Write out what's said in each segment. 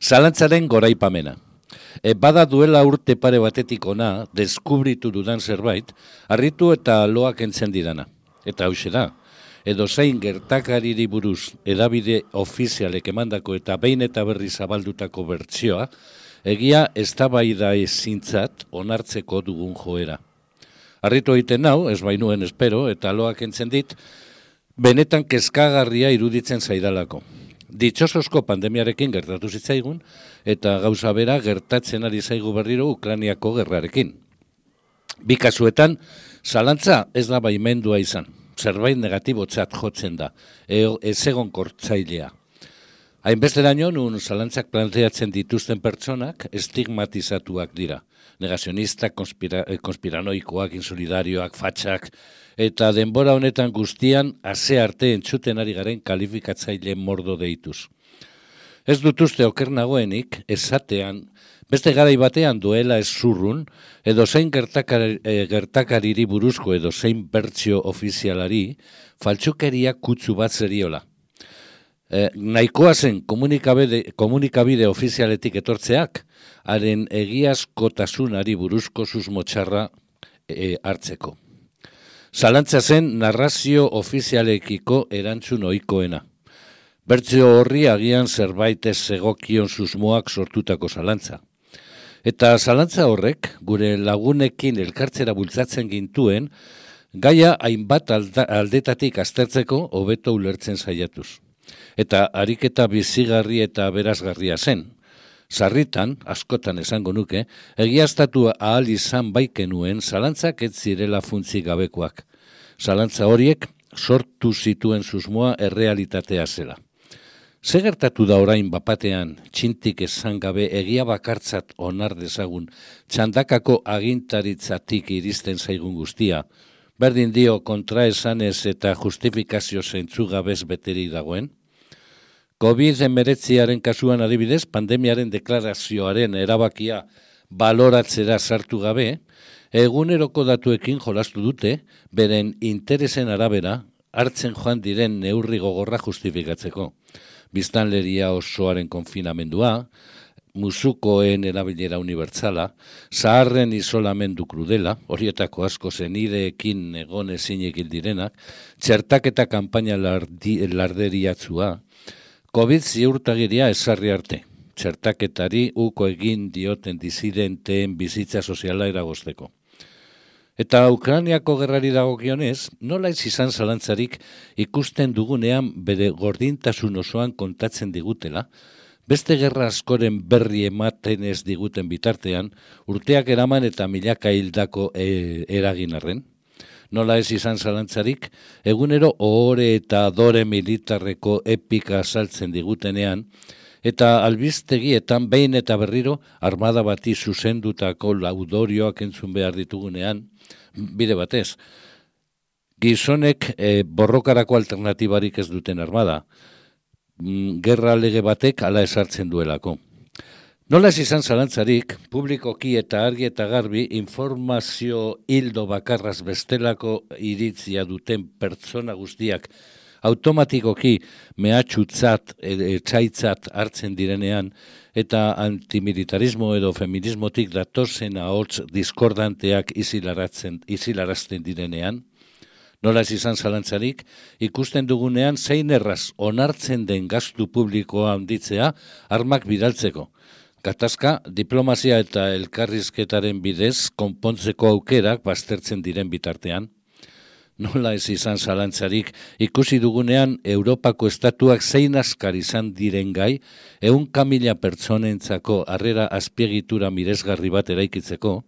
Zalantzaren goraipamena. Bada duela urte pare batetik ona, deskubritu dudan zerbait, harritu eta loak entzen didana. Eta hauxe da, edozein gertakariri buruz edabide ofizialek emandako eta behin eta berri zabaldutako bertsioa, egia eztabaida ezintzat onartzeko dugun joera. Harritu egiten nau, ez bainuen espero, eta loak entzen dit, benetan kezkagarria iruditzen zaidalako. Ditxosozko pandemiarekin gertatu zitzaigun, eta gauza bera gertatzen ari zaigu berriro Ukrainiako gerrarekin. Bi kasuetan, zalantza ez da baimendua izan, zerbait negatibotzat jotzen da, ez egon kortzailea. Hainbesteraino, nun zalantzak planteatzen dituzten pertsonak estigmatizatuak dira. Negazionistak, konspiranoikoak, insolidarioak, fatxak, eta denbora honetan guztian ase arte entzuten ari garen kalifikatzaile mordo deituz. Ez dut uste oker nagoenik, esatean, beste garai batean duela ez zurrun, edo zein gertakariri buruzko edo zein bertsio ofizialari, faltsukeria kutsu bat zeriola. Nahikoa zen komunikabide ofizialetik etortzeak, haren egiazkotasunari buruzko susmotxarra hartzeko. Zalantza zen narrazio ofizialekiko erantzun ohikoena. Bertsio horri agian zerbait ez egokion susmoak sortutako zalantza. Eta zalantza horrek, gure lagunekin elkartzera bultzatzen gintuen, gaia hainbat aldetatik aztertzeko hobeto ulertzen saiatuz. Eta ariketa bizigarri eta berazgarria zen. Sarritan, askotan esango nuke, egiaztatu ahal izan baikenuen zalantzak ez zirela funtzi gabekoak. Zalantza horiek sortu zituen susmoa errealitatea zela. Ze gertatu da orain bapatean, txintik esan gabe egia bakartzat onar dezagun, txandakako agintaritzatik iristen zaigun guztia, berdin dio kontraesanez eta justifikazio zentzugabez beterik dagoen? COVID-19 kasuan adibidez, pandemiaren deklarazioaren erabakia baloratzera sartu gabe, eguneroko datuekin jolastu dute, beren interesen arabera, hartzen joan diren neurri gogorra justifikatzeko. Biztanleria osoaren konfinamendua, musukoen erabilera unibertsala, zaharren isolamendu krudela, horietako asko zenideekin egon ezinek direnak, txertaketa kanpaina larderiatzua, COVID ziurtagiria ezarri arte, txertaketari uko egin dioten disidenteen bizitza soziala eragozteko. Eta Ukrainiako gerrari dagokionez, nola ez izan zalantzarik ikusten dugunean bere gordintasun osoan kontatzen digutela, beste gerra askoren berri ematen ez diguten bitartean, urteak eraman eta milaka hildako eragin arren. Nola ez izan zalantzarik, egunero ohore eta adore militarreko epika saltzen digutenean, eta albistegietan behin eta berriro armada bati zuzendutako laudorioak entzun behar ditugunean, bide batez, gizonek borrokarako alternatibarik ez duten armada, gerra lege batek hala esartzen duelako. Nola ez izan zalantzarik, publikoki eta argi eta garbi informazio hildo bakarraz bestelako iritzia duten pertsona guztiak automatikoki mehatxutzat, etxaitzat hartzen direnean eta antimilitarismo edo feminismotik datozen ahots diskordanteak isilarazten direnean, nola ez izan zalantzarik, ikusten dugunean zein erraz onartzen den gastu publikoa handitzea armak bidaltzeko. Gatazka, diplomazia eta elkarrizketaren bidez konpontzeko aukerak baztertzen diren bitartean. Nola ez izan zalantzarik, ikusi dugunean Europako estatuak zein askar izan diren gai, 100.000 pertsonentzako harrera azpiegitura miresgarri bat eraikitzeko,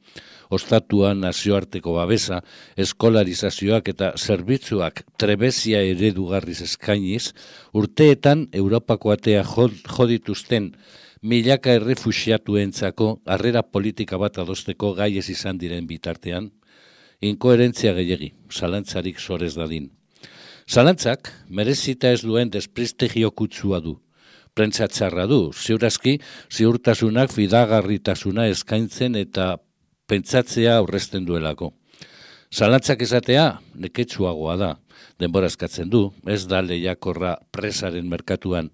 ostatuan nazioarteko babesa, eskolarizazioak eta zerbitzuak trebezia eredugarriz eskainiz, urteetan Europako atea jodituzten milaka errefuxiatuentzako harrera politika bat adosteko gai ez izan diren bitartean, inkoherentzia gehiegi, zalantzarik sorez dadin. Zalantzak merezita ez duen desprestigio kutsua du. Prentsa txarra du, ziurazki ziurtasunak fidagarritasuna eskaintzen eta pentsatzea aurrezten duelako. Zalantzak esatea neketsuagoa da, denbora eskatzen du, ez da lehiakorra presaren merkatuan.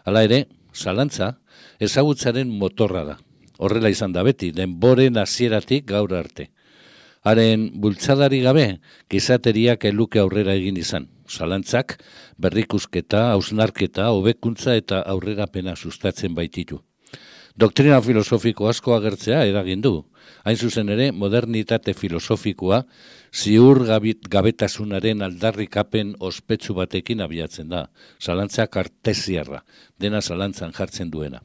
Hala ere, zalantza ezagutzaren motorra da. Horrela izan da beti, denboren hasieratik gaur arte. Haren bultzadari gabe, gizateriak eluke aurrera egin izan. Zalantzak, berrikusketa, hausnarketa, hobekuntza eta aurrerapena sustatzen baititu. Doktrina filosofiko asko agertzea eragin du. Hain zuzen ere, modernitate filosofikoa ziur gabetasunaren aldarrikapen ospetsu batekin abiatzen da. Zalantza kartesiarra, dena zalantzan jartzen duena.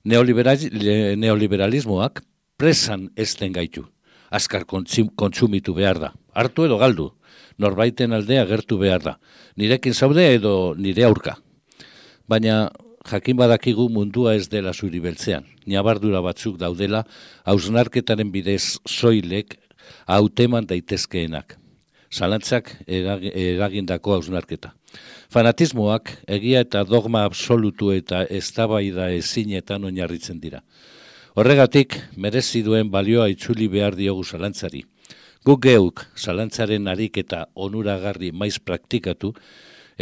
Neoliberalismoak presan ezten gaitu. Azkar kontsumitu behar da. Hartu edo galdu. Norbaiten aldea agertu behar da. Nirekin zaude edo nire aurka. Baina jakin badakigu mundua ez dela zuri beltzean. Ñabardura batzuk daudela, hausnarketaren bidez soilek hauteman daitezkeenak. Zalantzak eragindako hausnarketa. Fanatismoak egia eta dogma absolutu eta eztabaida ezinetan oinarritzen dira. Horregatik, merezi duen balioa itzuli behar diogu zalantzari. Guk geuk zalantzaren ariketa onuragarri maiz praktikatu,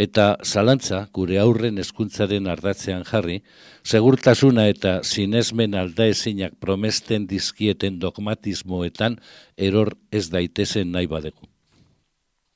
eta zalantza gure aurren hezkuntzaren ardatzean jarri, segurtasuna eta sinesmen aldaezinak promesten dizkieten dogmatismoetan eror ez daitezen nahi badegu.